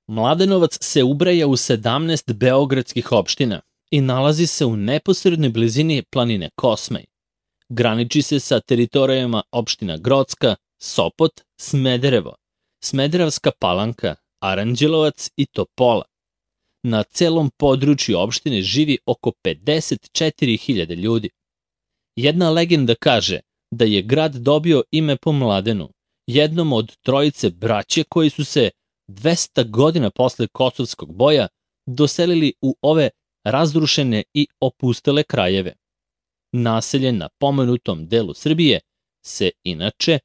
Mladenovac se ubraja u 17 beogradskih opština i nalazi se u neposrednoj blizini planine Kosmaj. Graniči se sa teritorijama opština Grocka, Sopot, Smederevo, Smederevska Palanka, Aranđelovac i Topola. Na celom području opštine živi oko 54.000 ljudi. Jedna legenda kaže da je grad dobio ime po Mladenu, jednom od trojice braće koji su se 200 godina posle Kosovskog boja doselili u ove razrušene i opustele krajeve. Naselje na pomenutom delu Srbije se, inače,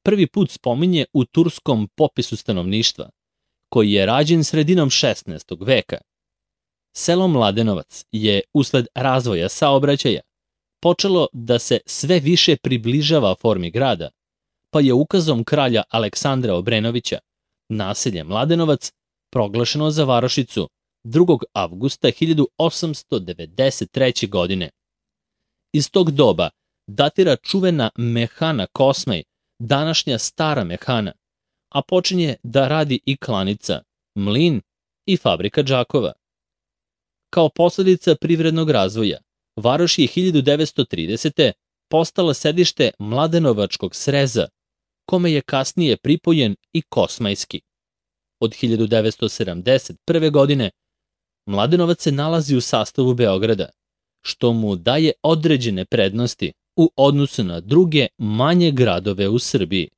prvi put spominje u turskom popisu stanovništva, koji je rađen sredinom 16. veka. Selo Mladenovac je, usled razvoja saobraćaja, počelo da se sve više približava formi grada, pa je ukazom kralja Aleksandra Obrenovića naselje Mladenovac proglašeno za varošicu 2. avgusta 1893. godine. Iz tog doba datira čuvena mehana Kosmaj, današnja Stara mehana, a počinje da radi i klanica, mlin i fabrika džakova. Kao posledica privrednog razvoja, varoš je 1930. postala sedište Mladenovačkog sreza, kome je kasnije pripojen i Kosmajski. Od 1971. godine Mladenovac se nalazi u sastavu Beograda, što mu daje određene prednosti u odnosu na druge manje gradove u Srbiji.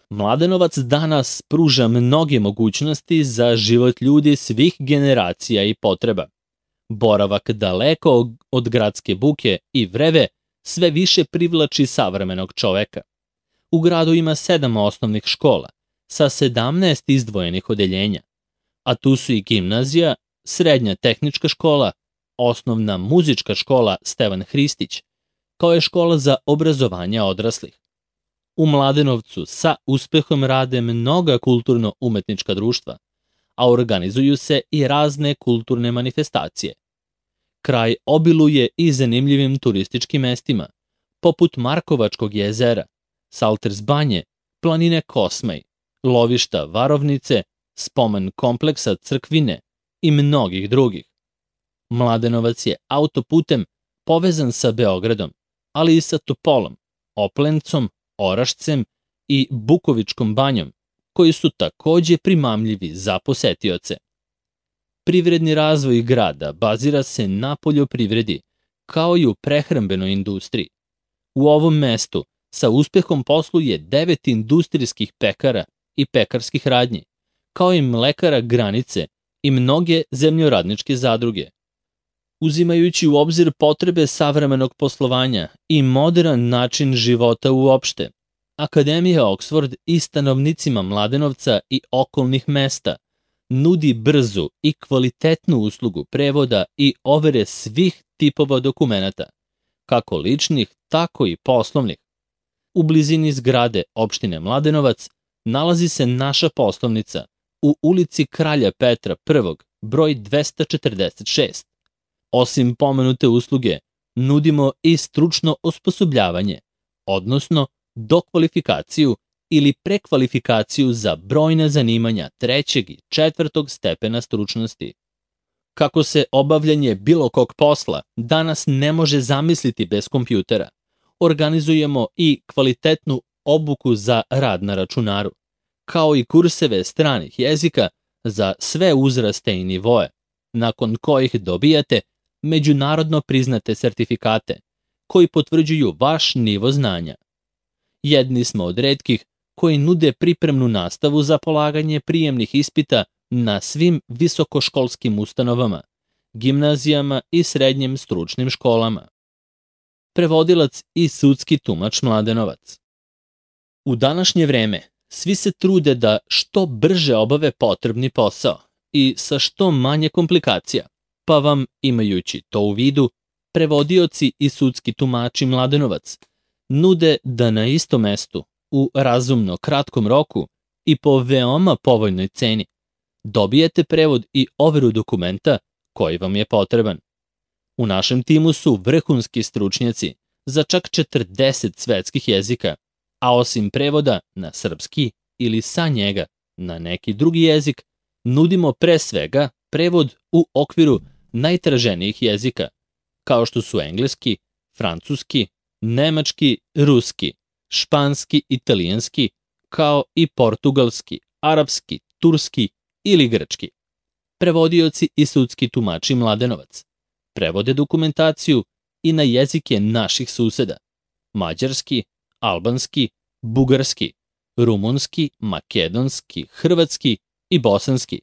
Mladenovac danas pruža mnoge mogućnosti za život ljudi svih generacija i potreba. Boravak daleko od gradske buke i vreve sve više privlači savremenog čoveka. U gradu ima 7 osnovnih škola sa 17 izdvojenih odeljenja, a tu su i gimnazija, srednja tehnička škola, osnovna muzička škola Stevan Hristić, kao je škola za obrazovanje odraslih. U Mladenovcu sa uspehom rade mnoga kulturno-umetnička društva, a organizuju se i razne kulturne manifestacije. Kraj obiluje i zanimljivim turističkim mestima, poput Markovačkog jezera, Salters banje, planine Kosmaj, lovišta Varovnice, spomen kompleksa Crkvine i mnogih drugih. Mladenovac je autoputem povezan sa Beogradom, ali i sa Topolom, Oplencom, Orašcem i Bukovičkom banjom, koji su takođe primamljivi za posetioce. Privredni razvoj grada bazira se na poljoprivredi, kao i u prehrambenoj industriji. U ovom mestu sa uspehom posluje 9 industrijskih pekara i pekarskih radnji, kao i mlekara Granice i mnoge zemljoradničke zadruge. Uzimajući u obzir potrebe savremenog poslovanja i modern način života uopšte, Akademija Oxford i stanovnicima Mladenovca i okolnih mesta nudi brzu i kvalitetnu uslugu prevoda i overe svih tipova dokumenata, kako ličnih, tako i poslovnih. U blizini zgrade opštine Mladenovac nalazi se naša poslovnica u ulici Kralja Petra I, broj 246. Osim pomenute usluge, nudimo i stručno osposobljavanje, odnosno dokvalifikaciju ili prekvalifikaciju za brojna zanimanja 3. i 4. stepena stručnosti. Kako se obavljanje bilo kog posla danas ne može zamisliti bez kompjutera, organizujemo i kvalitetnu obuku za rad na računaru, kao i kurseve stranih jezika za sve uzraste i nivoe, nakon kojih dobijate međunarodno priznate sertifikate koji potvrđuju vaš nivo znanja. Jedni smo od retkih koji nude pripremnu nastavu za polaganje prijemnih ispita na svim visokoškolskim ustanovama, gimnazijama i srednjim stručnim školama. Prevodilac i sudski tumač Mladenovac. U današnje vreme svi se trude da što brže obave potrebni posao i sa što manje komplikacija, pa vam, imajući to u vidu, prevodioci i sudski tumači Mladenovac nude da na istom mestu, u razumno kratkom roku i po veoma povoljnoj ceni, dobijete prevod i overu dokumenta koji vam je potreban. U našem timu su vrhunski stručnjaci za čak 40 svetskih jezika, a osim prevoda na srpski ili sa njega na neki drugi jezik, nudimo pre svega prevod u okviru najtraženijih jezika, kao što su engleski, francuski, nemački, ruski, španski, italijanski, kao i portugalski, arapski, turski ili grčki. Prevodioci i sudski tumači Mladenovac prevode dokumentaciju i na jezike naših suseda: mađarski, albanski, bugarski, rumunski, makedonski, hrvatski i bosanski,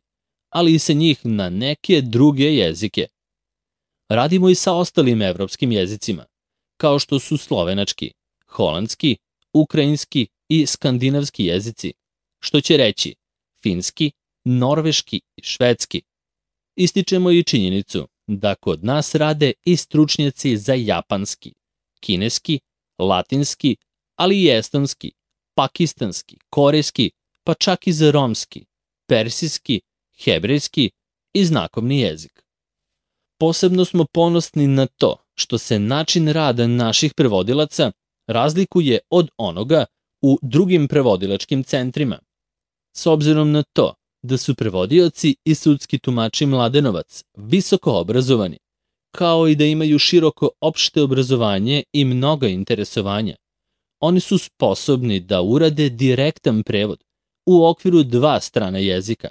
ali i sa njih na neke druge jezike. Radimo i sa ostalim evropskim jezicima, kao što su slovenački, holandski, ukrajinski i skandinavski jezici, što će reći finski, norveški i švedski. Ističemo i činjenicu da kod nas rade i stručnjaci za japanski, kineski, latinski, ali i estonski, pakistanski, korejski, pa čak i za romski, persijski, hebrejski i znakovni jezik. Posebno smo ponosni na to što se način rada naših prevodilaca razlikuje od onoga u drugim prevodilačkim centrima. S obzirom na to da su prevodioci i sudski tumači Mladenovac visoko obrazovani, kao i da imaju široko opšte obrazovanje i mnoga interesovanja, oni su sposobni da urade direktan prevod u okviru 2 strana jezika,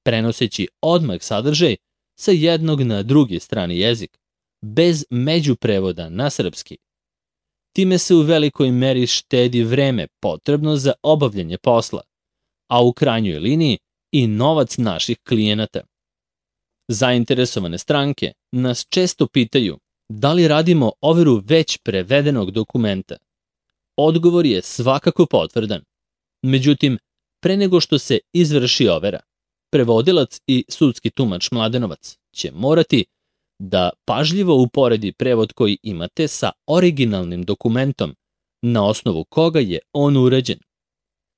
prenoseći odmah sadržaj sa jednog na drugi strani jezik, bez međuprevoda na srpski. Time se u velikoj meri štedi vreme potrebno za obavljanje posla, a u krajnjoj liniji i novac naših klijenata. Zainteresovane stranke nas često pitaju da li radimo overu već prevedenog dokumenta. Odgovor je svakako potvrdan. Međutim, pre nego što se izvrši overa, prevodilac i sudski tumač Mladenovac će morati da pažljivo uporedi prevod koji imate sa originalnim dokumentom, na osnovu koga je on urađen.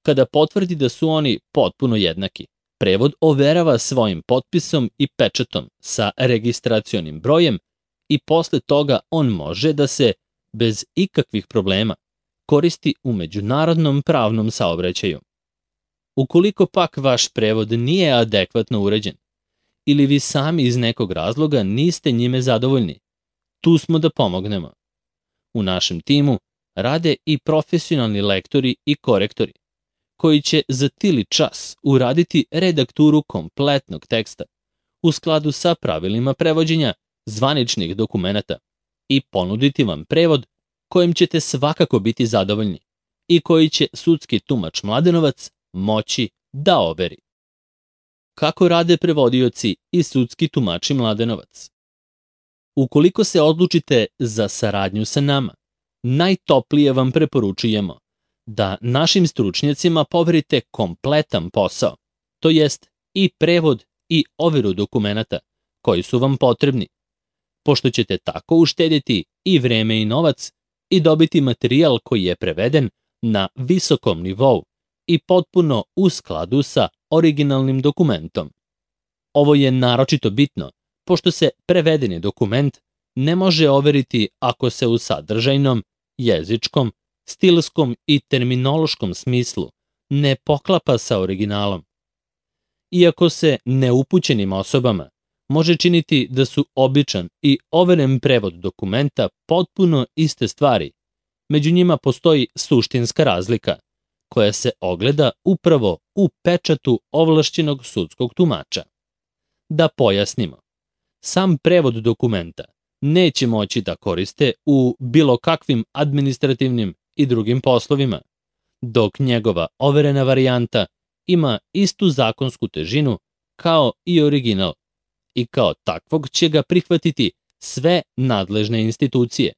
Kada potvrdi da su oni potpuno jednaki, prevod overava svojim potpisom i pečatom sa registracionim brojem i posle toga on može da se, bez ikakvih problema, koristi u međunarodnom pravnom saobraćaju. Ukoliko pak vaš prevod nije adekvatno uređen ili vi sami iz nekog razloga niste njime zadovoljni, tu smo da pomognemo. U našem timu rade i profesionalni lektori i korektori, koji će za tili čas uraditi redakturu kompletnog teksta u skladu sa pravilima prevođenja zvaničnih dokumenata i ponuditi vam prevod kojim ćete svakako biti zadovoljni i koji će sudski tumač Mladenovac moći da overi. Kako rade prevodioci i sudski tumači Mladenovac? Ukoliko se odlučite za saradnju sa nama, najtoplije vam preporučujemo da našim stručnjacima poverite kompletan posao, to jest i prevod i overu dokumenata koji su vam potrebni, pošto ćete tako uštedjeti i vreme i novac i dobiti materijal koji je preveden na visokom nivou i potpuno u skladu sa originalnim dokumentom. Ovo je naročito bitno, pošto se prevedeni dokument ne može overiti ako se u sadržajnom, jezičkom, stilskom i terminološkom smislu ne poklapa sa originalom. Iako se neupućenim osobama može činiti da su običan i overen prevod dokumenta potpuno iste stvari, među njima postoji suštinska razlika, koja se ogleda upravo u pečatu ovlašćenog sudskog tumača. Da pojasnimo, sam prevod dokumenta neće moći da koriste u bilo kakvim administrativnim i drugim poslovima, dok njegova overena varijanta ima istu zakonsku težinu kao i original i kao takvog će ga prihvatiti sve nadležne institucije.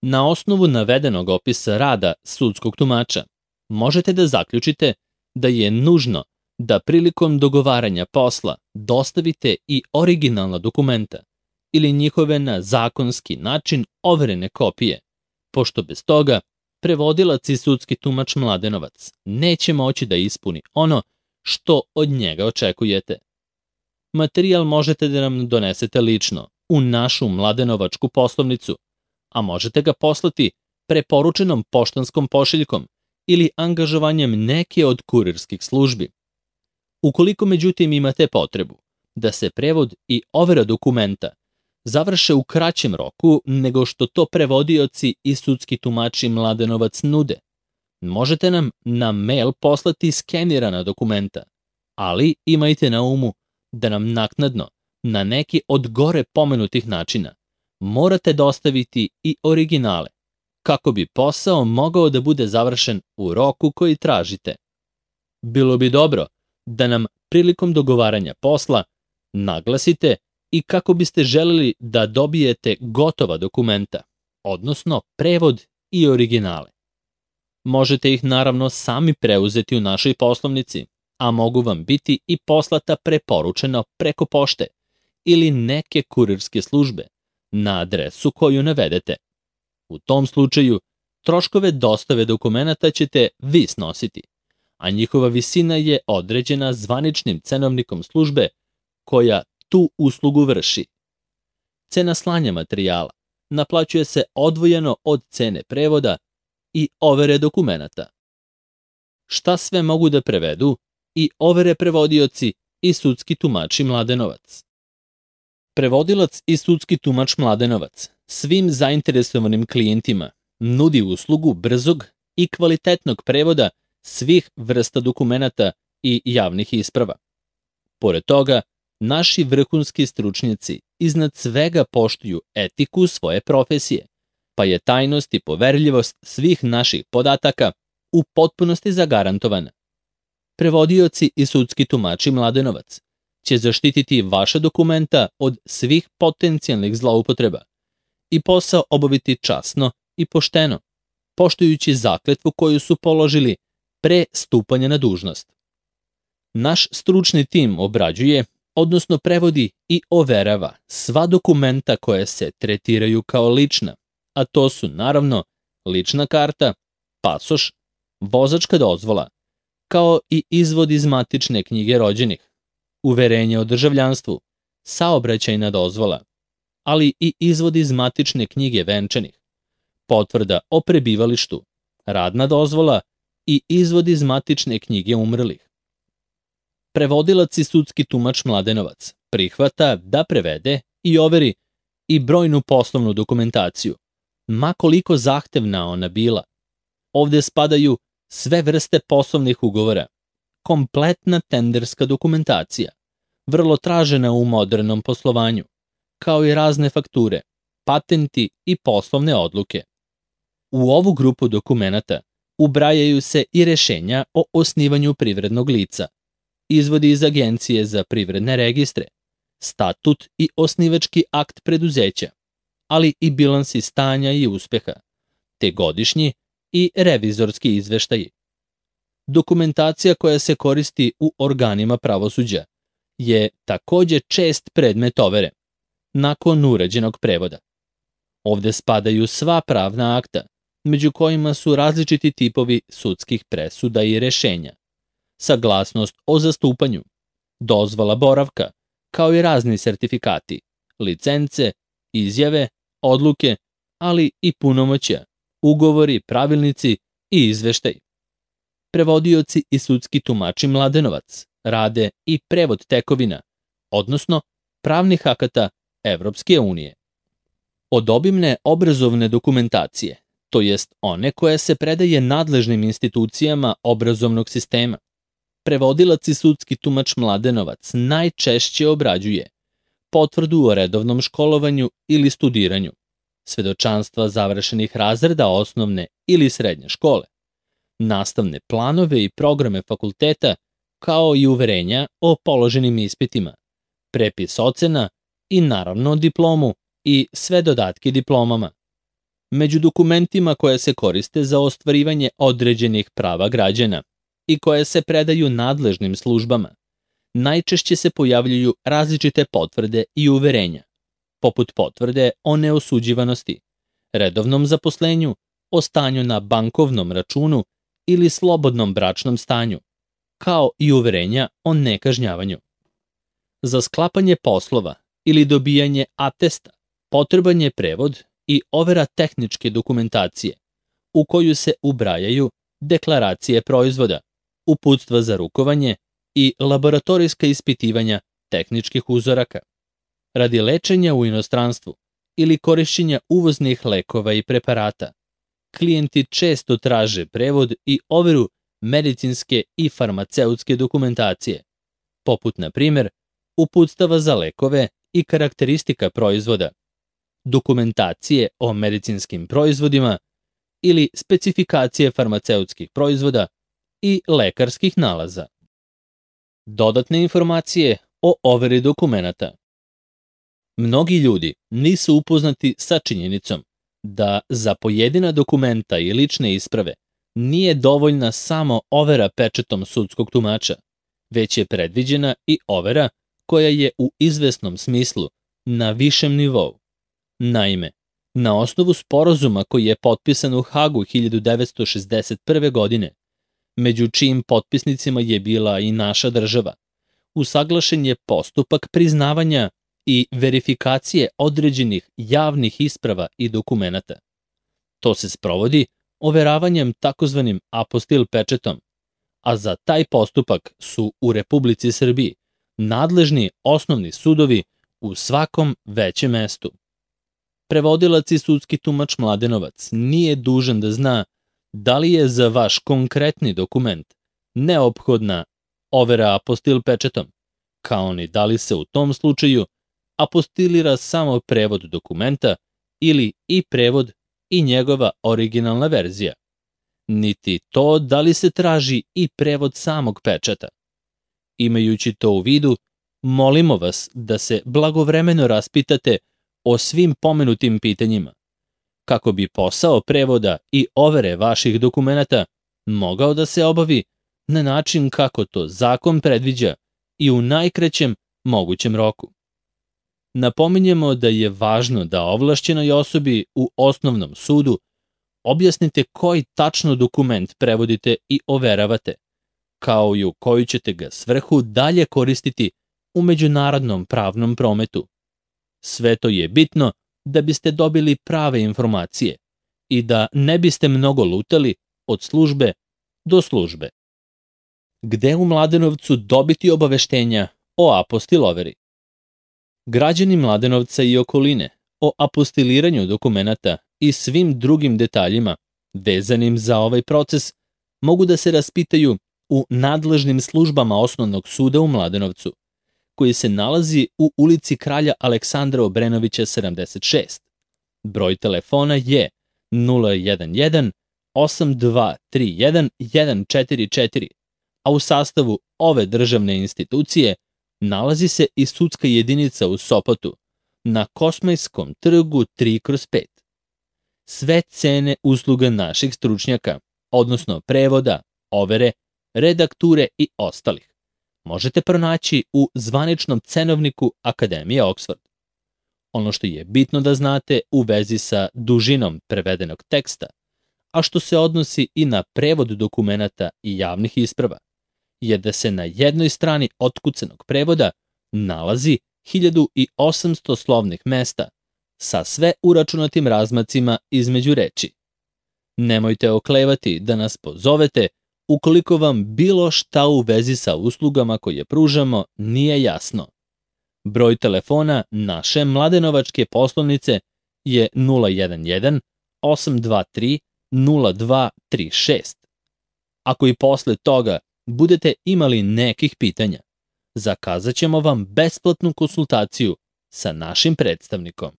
Na osnovu navedenog opisa rada sudskog tumača možete da zaključite da je nužno da prilikom dogovaranja posla dostavite i originalna dokumenta ili njihove na zakonski način overene kopije, pošto bez toga prevodilac i sudski tumač Mladenovac neće moći da ispuni ono što od njega očekujete. Materijal možete da nam donesete lično u našu Mladenovačku poslovnicu, a možete ga poslati preporučenom poštanskom pošiljkom ili angažovanjem neke od kurirskih službi. Ukoliko međutim imate potrebu da se prevod i overa dokumenta završe u kraćem roku nego što to prevodioci i sudski tumači Mladenovac nude, možete nam na mail poslati skenirana dokumenta, ali imajte na umu da nam naknadno, na neki od gore pomenutih načina, morate dostaviti i originale, kako bi posao mogao da bude završen u roku koji tražite. Bilo bi dobro da nam prilikom dogovaranja posla naglasite i kako biste želeli da dobijete gotova dokumenta, odnosno prevod i originale. Možete ih naravno sami preuzeti u našoj poslovnici, a mogu vam biti i poslata preporučeno preko pošte ili neke kurirske službe na adresu koju navedete. U tom slučaju, troškove dostave dokumenata ćete vi snositi, a njihova visina je određena zvaničnim cenovnikom službe koja tu uslugu vrši. Cena slanja materijala naplaćuje se odvojeno od cene prevoda i overe dokumenata. Šta sve mogu da prevedu i overe prevodioci i sudski tumači Mladenovac? Prevodilac i sudski tumač Mladenovac svim zainteresovanim klijentima nudi uslugu brzog i kvalitetnog prevoda svih vrsta dokumenata i javnih isprava. Pored toga, naši vrhunski stručnjaci iznad svega poštuju etiku svoje profesije, pa je tajnost i poverljivost svih naših podataka u potpunosti zagarantovana. Prevodioci i sudski tumači Mladenovac će zaštititi vaša dokumenta od svih potencijalnih zloupotreba i posao obaviti časno i pošteno, poštujući zakletvu koju su položili pre stupanja na dužnost. Naš stručni tim obrađuje, odnosno prevodi i overava sva dokumenta koje se tretiraju kao lična, a to su naravno lična karta, pasoš, vozačka dozvola, kao i izvod iz matične knjige rođenih, uverenje o državljanstvu, saobraćajna dozvola, ali i izvod iz matične knjige venčanih, potvrda o prebivalištu, radna dozvola i izvod iz matične knjige umrlih. Prevodilac i sudski tumač Mladenovac prihvata da prevede i overi i brojnu poslovnu dokumentaciju, ma koliko zahtevna ona bila. Ovde spadaju sve vrste poslovnih ugovora, kompletna tenderska dokumentacija, vrlo tražena u modernom poslovanju, kao i razne fakture, patenti i poslovne odluke. U ovu grupu dokumenata ubrajaju se i rešenja o osnivanju privrednog lica, izvodi iz Agencije za privredne registre, statut i osnivački akt preduzeća, ali i bilansi stanja i uspeha, te godišnji i revizorski izveštaji. Dokumentacija koja se koristi u organima pravosuđa je takođe čest predmet overe, nakon urađenog prevoda. Ovde spadaju sva pravna akta, među kojima su različiti tipovi sudskih presuda i rešenja, saglasnost o zastupanju, dozvola boravka, kao i razni sertifikati, licence, izjave, odluke, ali i punomoćja, ugovori, pravilnici i izveštaj. Prevodioci i sudski tumači Mladenovac rade i prevod tekovina, odnosno pravnih akata Evropske unije. Od obimne obrazovne dokumentacije, to jest one koja se predaje nadležnim institucijama obrazovnog sistema, prevodilac i sudski tumač Mladenovac najčešće obrađuje potvrdu o redovnom školovanju ili studiranju, svedočanstva završenih razreda osnovne ili srednje škole, nastavne planove i programe fakulteta, kao i uverenja o položenim ispitima, prepis ocena i naravno diplomu i sve dodatke diplomama. Među dokumentima koje se koriste za ostvarivanje određenih prava građana i koje se predaju nadležnim službama, najčešće se pojavljuju različite potvrde i uverenja, poput potvrde o neosuđivanosti, redovnom zaposlenju, o stanju na bankovnom računu ili slobodnom bračnom stanju, kao i uverenja o nekažnjavanju. Za sklapanje poslova ili dobijanje atesta potreban je prevod i overa tehničke dokumentacije, u koju se ubrajaju deklaracije proizvoda, uputstva za rukovanje i laboratorijska ispitivanja tehničkih uzoraka. Radi lečenja u inostranstvu ili korišćenja uvoznih lekova i preparata, klijenti često traže prevod i overu medicinske i farmaceutske dokumentacije, poput, na primjer, uputstava za lekove i karakteristika proizvoda, dokumentacije o medicinskim proizvodima ili specifikacije farmaceutskih proizvoda i lekarskih nalaza. Dodatne informacije o overi dokumenata. Mnogi ljudi nisu upoznati sa činjenicom da za pojedina dokumenta i lične isprave nije dovoljna samo overa pečatom sudskog tumača, već je predviđena i overa koja je u izvesnom smislu na višem nivou. Naime, na osnovu sporazuma koji je potpisan u Hagu 1961. godine, među čijim potpisnicima je bila i naša država, usaglašen je postupak priznavanja i verifikacije određenih javnih isprava i dokumenata. To se sprovodi overavanjem takozvanim apostil pečetom, a za taj postupak su u Republici Srbiji nadležni osnovni sudovi u svakom većem mestu. Prevodilac i sudski tumač Mladenovac nije dužan da zna da li je za vaš konkretni dokument neophodna overa apostil pečetom, kao ni da li se u tom slučaju apostilira samo prevod dokumenta ili i prevod i njegova originalna verzija, niti to da li se traži i prevod samog pečata. Imajući to u vidu, molimo vas da se blagovremeno raspitate o svim pomenutim pitanjima, kako bi posao prevoda i overe vaših dokumenata mogao da se obavi na način kako to zakon predviđa i u najkraćem mogućem roku. Napominjemo da je važno da ovlašćenoj osobi u osnovnom sudu objasnite koji tačno dokument prevodite i overavate, kao i u koju ćete ga svrhu dalje koristiti u međunarodnom pravnom prometu. Sve to je bitno da biste dobili prave informacije i da ne biste mnogo lutali od službe do službe. Gde u Mladenovcu dobiti obaveštenja o apostil overi? Građani Mladenovca i okoline o apostiliranju dokumenata i svim drugim detaljima vezanim za ovaj proces mogu da se raspitaju u nadležnim službama Osnovnog suda u Mladenovcu, koji se nalazi u ulici Kralja Aleksandra Obrenovića 76. Broj telefona je 011 8231 144, a u sastavu ove državne institucije nalazi se i sudska jedinica u Sopotu, na Kosmajskom trgu 3/5. Sve cene usluga naših stručnjaka, odnosno prevoda, overe, redakture i ostalih, možete pronaći u zvaničnom cenovniku Akademije Oxford. Ono što je bitno da znate u vezi sa dužinom prevedenog teksta, a što se odnosi i na prevod dokumenata i javnih isprava, je da se na jednoj strani otkucanog prevoda nalazi 1800 slovnih mesta sa sve uračunatim razmacima između reči. Nemojte oklevati da nas pozovete ukoliko vam bilo šta u vezi sa uslugama koje pružamo nije jasno. Broj telefona naše mladenovačke poslovnice je 011 823 0236. Ako i posle toga budete imali nekih pitanja, zakazat ćemo vam besplatnu konsultaciju sa našim predstavnikom.